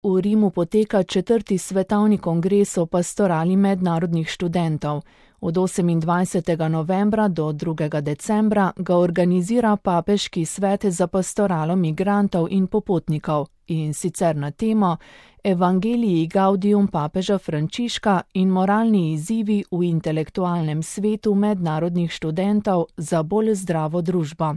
V Rimu poteka 4. svetovni kongres o pastorali mednarodnih študentov. Od 28. novembra do 2. decembra ga organizira Papeški svet za pastoralo migrantov in popotnikov, in sicer na temo Evangelii Gaudium papeža Frančiška in moralni izzivi v intelektualnem svetu mednarodnih študentov za bolj zdravo družbo.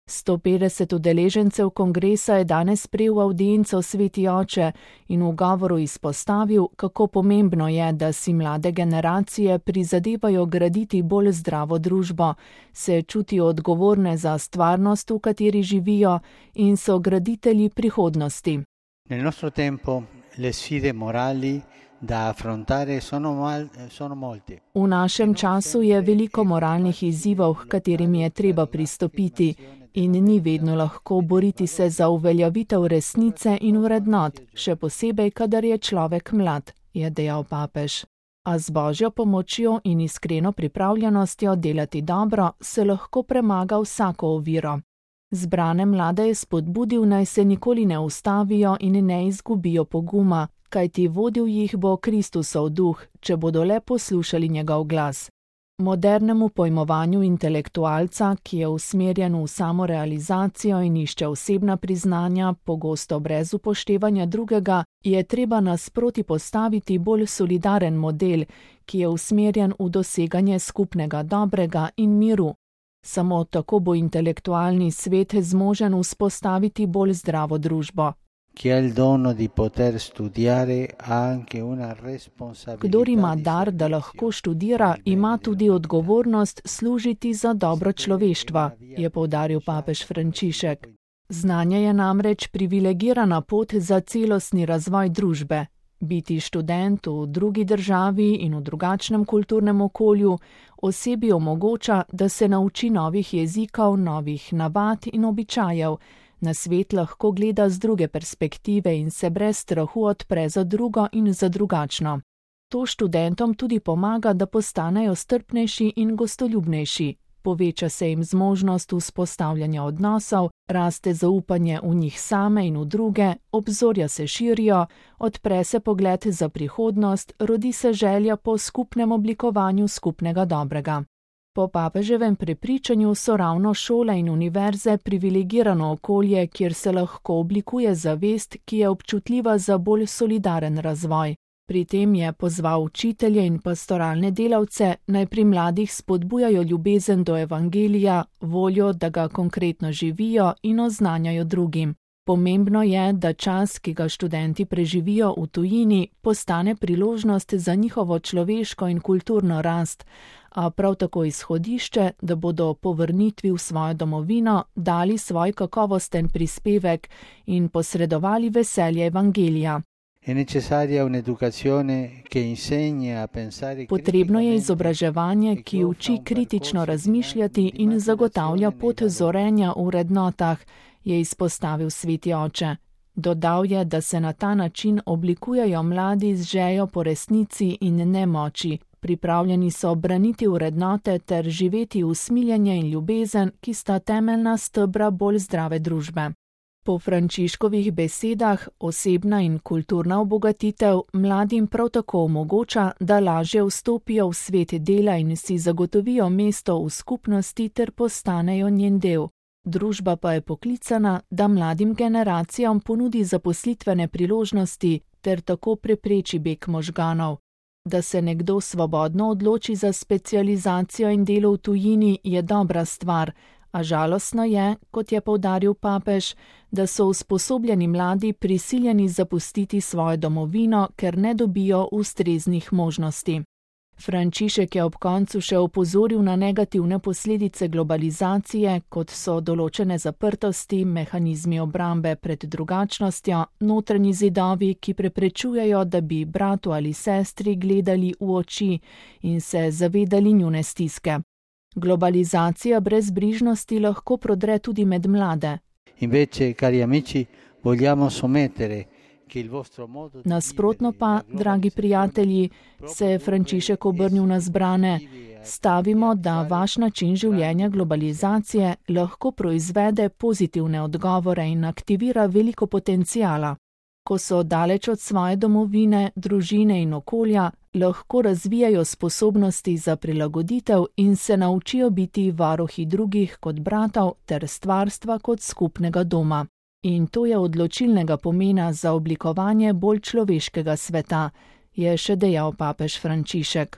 150 udeležencev kongresa je danes sprejel avdienco Sveti oče in v govoru izpostavil, kako pomembno je, da si mlade generacije prizadevajo graditi bolj zdravo družbo, se čutijo odgovorne za stvarnost, v kateri živijo, in so graditelji prihodnosti. Nel nostro tempo le sfide morali da affrontare sono molte. V našem času je veliko moralnih izzivov, h katerim je treba pristopiti, in ni vedno lahko boriti se za uveljavitev resnice in vrednot, še posebej, kadar je človek mlad, je dejal papež. A z Božjo pomočjo in iskreno pripravljenostjo delati dobro se lahko premaga vsako oviro. Zbrane mlade je spodbudil, naj se nikoli ne ustavijo in ne izgubijo poguma, kajti vodil jih bo Kristusov duh, če bodo le poslušali njegov glas. Modernemu pojmovanju intelektualca, ki je usmerjen v samorealizacijo in išče osebna priznanja, pogosto brez upoštevanja drugega, je treba nasproti postaviti bolj solidaren model, ki je usmerjen v doseganje skupnega dobrega in miru. Samo tako bo intelektualni svet zmožen vzpostaviti bolj zdravo družbo. Kdor ima dar, da lahko študira, ima tudi odgovornost služiti za dobro človeštva, je poudaril papež Frančišek. Znanje je namreč privilegirana pot za celostni razvoj družbe. Biti študent v drugi državi in v drugačnem kulturnem okolju osebi omogoča, da se nauči novih jezikov, novih navad in običajev, na svet lahko gleda z druge perspektive in se brez strahu odpre za drugo in za drugačno. To študentom tudi pomaga, da postanejo strpnejši in gostoljubnejši. Poveča se jim zmožnost vzpostavljanja odnosov, raste zaupanje v njih same in v druge, obzorja se širijo, odpre se pogled za prihodnost, rodi se želja po skupnem oblikovanju skupnega dobrega. Po papeževem prepričanju so ravno šole in univerze privilegirano okolje, kjer se lahko oblikuje zavest, ki je občutljiva za bolj solidaren razvoj. Pri tem je pozval učitelje in pastoralne delavce, naj pri mladih spodbujajo ljubezen do evangelija, voljo, da ga konkretno živijo in oznanjajo drugim. Pomembno je, da čas, ki ga študenti preživijo v tujini, postane priložnost za njihovo človeško in kulturno rast, a prav tako izhodišče, da bodo po vrnitvi v svojo domovino dali svoj kakovosten prispevek in posredovali veselje evangelija. Potrebno je izobraževanje, ki uči kritično razmišljati in zagotavlja pot zorenja v vrednotah, je izpostavil Sveti oče. Dodal je, da se na ta način oblikujejo mladi z željo po resnici in nemoči, pripravljeni so braniti vrednote ter živeti usmiljenje in ljubezen, ki sta temeljna stebra bolj zdrave družbe. Po Frančiškovih besedah osebna in kulturna obogatitev mladim prav tako omogoča, da lažje vstopijo v svet dela in si zagotovijo mesto v skupnosti ter postanejo njen del. Družba pa je poklicana, da mladim generacijam ponudi zaposlitvene priložnosti ter tako prepreči beg možganov. Da se nekdo svobodno odloči za specializacijo in delo v tujini, je dobra stvar, a žalostno je, kot je poudaril papež, da so usposobljeni mladi prisiljeni zapustiti svojo domovino, ker ne dobijo ustreznih možnosti. Frančišek je ob koncu še opozoril na negativne posledice globalizacije, kot so določene zaprtosti, mehanizmi obrambe pred drugačnostjo, notranji zidovi, ki preprečujejo, da bi bratu ali sestri gledali v oči in se zavedali njune stiske. Globalizacija brezbrižnosti lahko prodre tudi med mlade. Invece, cari amici, vogliamo somettere. Nasprotno pa, dragi prijatelji, se je Frančišek obrnil na zbrane, stavimo, da vaš način življenja globalizacije lahko proizvede pozitivne odgovore in aktivira veliko potenciala. Ko so daleč od svoje domovine, družine in okolja, lahko razvijajo sposobnosti za prilagoditev in se naučijo biti varuhi drugih kot bratov ter stvarstva kot skupnega doma. In to je odločilnega pomena za oblikovanje bolj človeškega sveta, je še dejal papež Frančišek.